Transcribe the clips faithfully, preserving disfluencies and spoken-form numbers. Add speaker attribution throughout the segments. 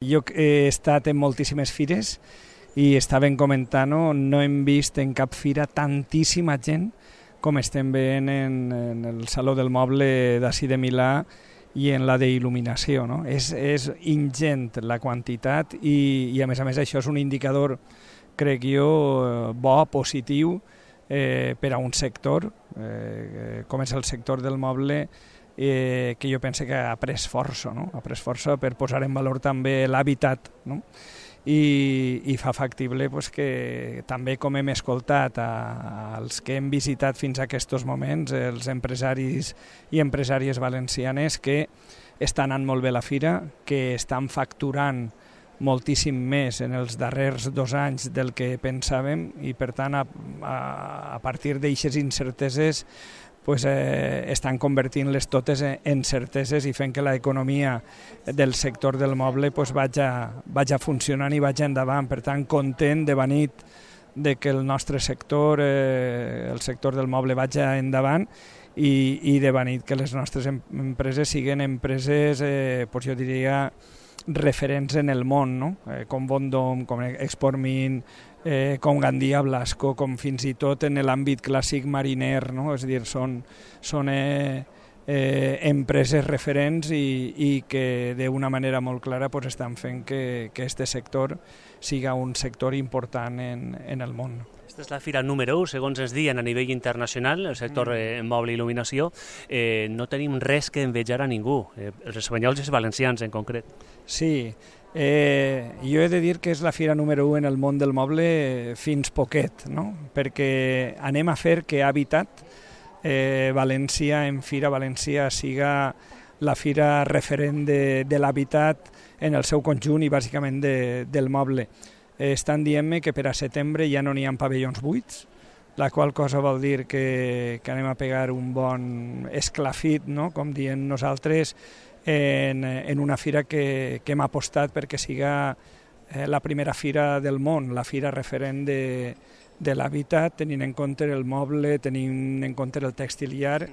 Speaker 1: Jo he estat en moltíssimes fires i estaven comentant-ho, no hem vist en cap fira tantíssima gent com estem veient en, en el Saló del Moble d'ací de Milà i en la d'il·luminació. No? És, és ingent la quantitat i, i a més a més això és un indicador, crec jo, bo, positiu eh, per a un sector, eh, com és el sector del moble, eh, que jo penso que ha pres força, no? ha pres força per posar en valor també l'hàbitat, no? I, i fa factible pues, que també, com hem escoltat a, als que hem visitat fins a aquests moments, els empresaris i empresàries valencianes, que està anant molt bé la fira, que estan facturant moltíssim més en els darrers dos anys del que pensàvem i, per tant, a, a, a partir d'aixes incerteses pues, eh, estan convertint-les totes en certeses i fent que l'economia del sector del moble pues, vaja, vaja funcionant i vaja endavant. Per tant, content de venit de que el nostre sector, eh, el sector del moble, vaja endavant i, i de venit que les nostres empreses siguin empreses, eh, pues, jo diria, referents en el món, no? eh, com Bondom, com Exportmin, eh, com Gandia Blasco, com fins i tot en l'àmbit clàssic mariner, no? És a dir, són, són eh, eh, empreses referents i, i que d'una manera molt clara pues, estan fent que aquest sector siga un sector important en, en el món.
Speaker 2: Aquesta és la fira número u, segons ens diuen a nivell internacional, el sector eh, moble i il·luminació. Eh, no tenim res que envejar a ningú, eh, els espanyols i els valencians en concret.
Speaker 1: Sí, eh, jo he de dir que és la fira número u en el món del moble fins poquet, no? Perquè anem a fer que Habitat, eh, València, en Fira València, siga la fira referent de, de l'habitat en el seu conjunt i bàsicament de, del moble. Estan dient-me que per a setembre ja no n'hi ha pavellons buits, la qual cosa vol dir que, que anem a pegar un bon esclafit, no? Com diem nosaltres, en, en una fira que, que hem apostat perquè siga eh, la primera fira del món, la fira referent de, de l'habitat, tenint en compte el moble, tenint en compte el textiliar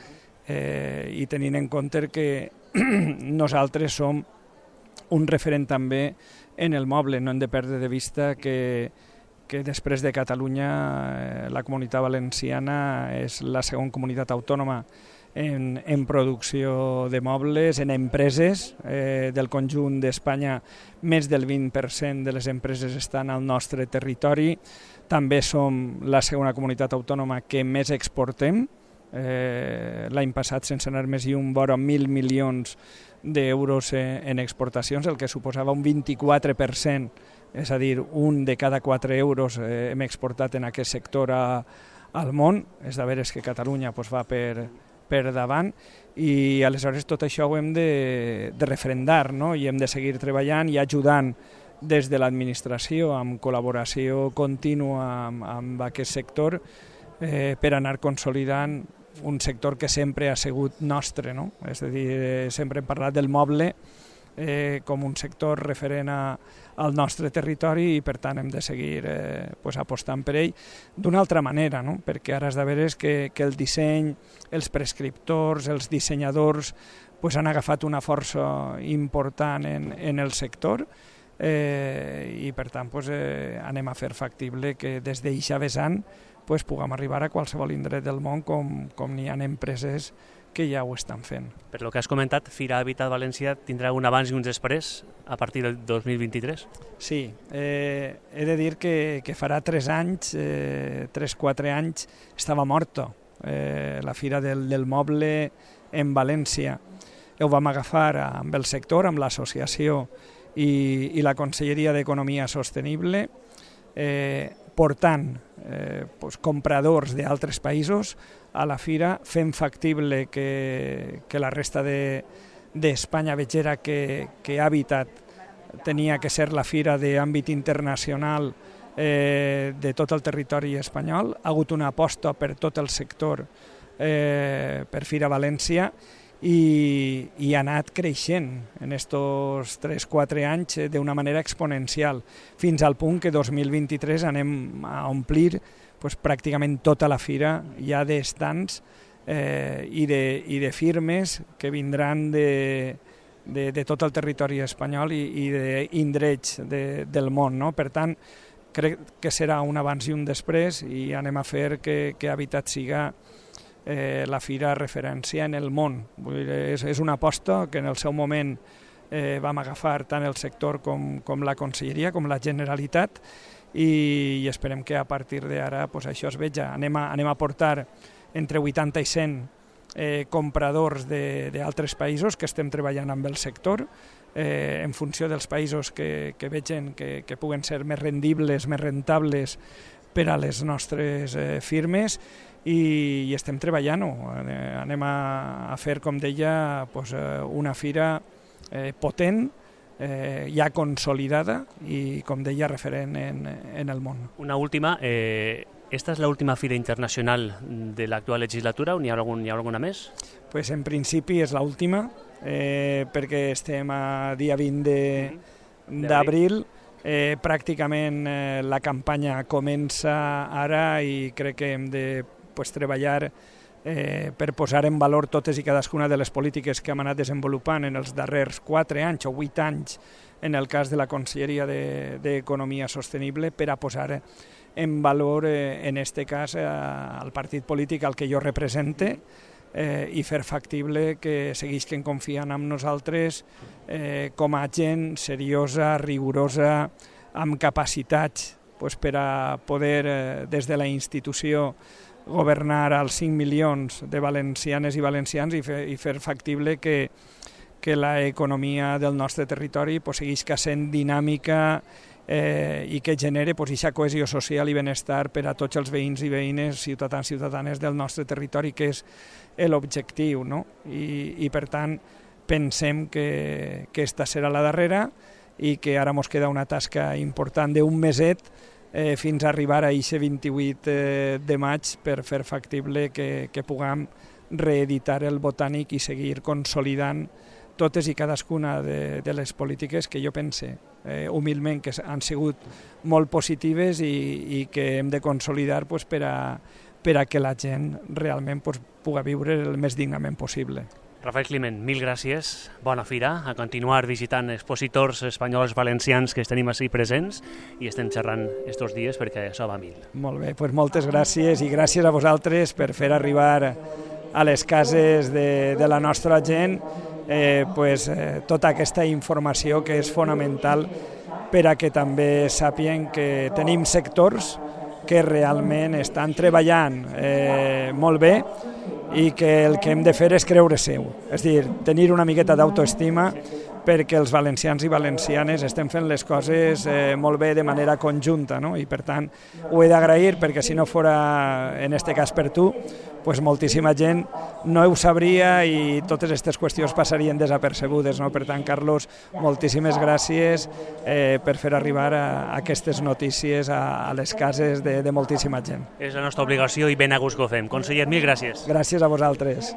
Speaker 1: eh, i tenint en compte que nosaltres som un referent també en el moble. No hem de perdre de vista que, que després de Catalunya eh, la Comunitat Valenciana és la segona comunitat autònoma en, en producció de mobles, en empreses eh, del conjunt d'Espanya. Més del vint per cent de les empreses estan al nostre territori. També som la segona comunitat autònoma que més exportem. Eh, l'any passat, sense anar més lluny, vora mil milions d'euros en exportacions, el que suposava un vint-i-quatre per cent, és a dir, un de cada quatre euros eh, hem exportat en aquest sector a, al món. És de veres que Catalunya pues, va per, per davant i aleshores tot això ho hem de, de referendar, no? I hem de seguir treballant i ajudant des de l'administració amb col·laboració contínua amb, amb aquest sector eh, per anar consolidant un sector que sempre ha sigut nostre, no? És a dir, eh, sempre hem parlat del moble eh, com un sector referent a, al nostre territori i per tant hem de seguir eh, pues, apostant per ell d'una altra manera, no? Perquè ara és de veres que, que el disseny, els prescriptors, els dissenyadors pues, han agafat una força important en, en el sector eh, i per tant pues, eh, anem a fer factible que des d'eixa vessant pues, puguem arribar a qualsevol indret del món com, com n'hi ha empreses que ja ho estan fent.
Speaker 2: Per lo que has comentat, Fira Habitat València tindrà un abans i un després a partir del dos mil vint-i-tres?
Speaker 1: Sí, eh, he de dir que, que farà tres anys, eh, tres, quatre anys, estava morta eh, la Fira del, del Moble en València. Ho vam agafar amb el sector, amb l'associació i, i la Conselleria d'Economia Sostenible, eh, portant eh, pues, compradors d'altres països a la fira, fent factible que, que la resta d'Espanya de, vegera que, que Habitat tenia que ser la fira d'àmbit internacional eh, de tot el territori espanyol. Ha hagut una aposta per tot el sector eh, per Fira València i, i ha anat creixent en aquests tres quatre anys d'una manera exponencial, fins al punt que dos mil vint-i-tres anem a omplir pues, pràcticament tota la fira ja d'estants eh, i, de, i de firmes que vindran de, de, de tot el territori espanyol i, i d'indrets de, del món, no? Per tant, crec que serà un abans i un després i anem a fer que, que Habitat siga eh, la fira referència en el món. Vull dir, és, és una aposta que en el seu moment eh, vam agafar tant el sector com, com la Conselleria, com la Generalitat, i, i esperem que a partir d'ara pues, això es veja. Anem a, anem a portar entre vuitanta i cent eh, compradors d'altres països que estem treballant amb el sector, eh, en funció dels països que, que vegen que, que puguen ser més rendibles, més rentables per a les nostres eh, firmes, i, i estem treballant-ho. Anem a, a fer, com deia, pues, una fira eh, potent, eh, ja consolidada i, com deia, referent en, en el món.
Speaker 2: Una última, eh, esta és l'última fira internacional de l'actual legislatura o n'hi ha, algun, hi ha alguna més?
Speaker 1: Pues en principi és l'última, eh, perquè estem a dia vint d'abril, eh, pràcticament eh, la campanya comença ara i crec que hem de pues, treballar eh, per posar en valor totes i cadascuna de les polítiques que hem anat desenvolupant en els darrers quatre anys o vuit anys en el cas de la Conselleria d'Economia Sostenible, per a posar en valor, eh, en este cas, eh, el partit polític al que jo represente, eh, i fer factible que seguisquen confiant en nosaltres eh, com a gent seriosa, rigorosa, amb capacitats pues, per a poder, eh, des de la institució, governar als cinc milions de valencianes i valencians i fer, i fer factible que, que l'economia del nostre territori pues, segueix sent dinàmica eh, i que genere pues, aquesta cohesió social i benestar per a tots els veïns i veïnes, ciutadans i ciutadanes del nostre territori, que és l'objectiu, no? I, i per tant pensem que, que esta serà la darrera i que ara ens queda una tasca important d'un meset eh, fins a arribar a aquest vint-i-vuit eh, de maig per fer factible que, que puguem reeditar el Botànic i seguir consolidant totes i cadascuna de, de les polítiques que jo pense eh, humilment que han sigut molt positives i, i que hem de consolidar pues, per, a, per a que la gent realment pues, pugui viure el més dignament possible.
Speaker 2: Rafael Climent, mil gràcies, bona fira, a continuar visitant expositors espanyols valencians que tenim així presents i estem xerrant estos dies perquè això va a mil.
Speaker 1: Molt bé, doncs moltes gràcies i gràcies a vosaltres per fer arribar a les cases de, de la nostra gent eh, pues, eh, tota aquesta informació que és fonamental per a que també sàpien que tenim sectors que realment estan treballant eh, molt bé i que el que hem de fer és creure seu, és a dir, tenir una miqueta d'autoestima perquè els valencians i valencianes estem fent les coses eh, molt bé de manera conjunta, no? I per tant ho he d'agrair perquè si no fora en este cas per tu, pues moltíssima gent no ho sabria i totes aquestes qüestions passarien desapercebudes, no? Per tant, Carlos, moltíssimes gràcies eh, per fer arribar a, a aquestes notícies a, a les cases de, de moltíssima gent.
Speaker 2: És la nostra obligació i ben a gust que ho fem. Conseller, mil gràcies.
Speaker 1: Gràcies a vosaltres.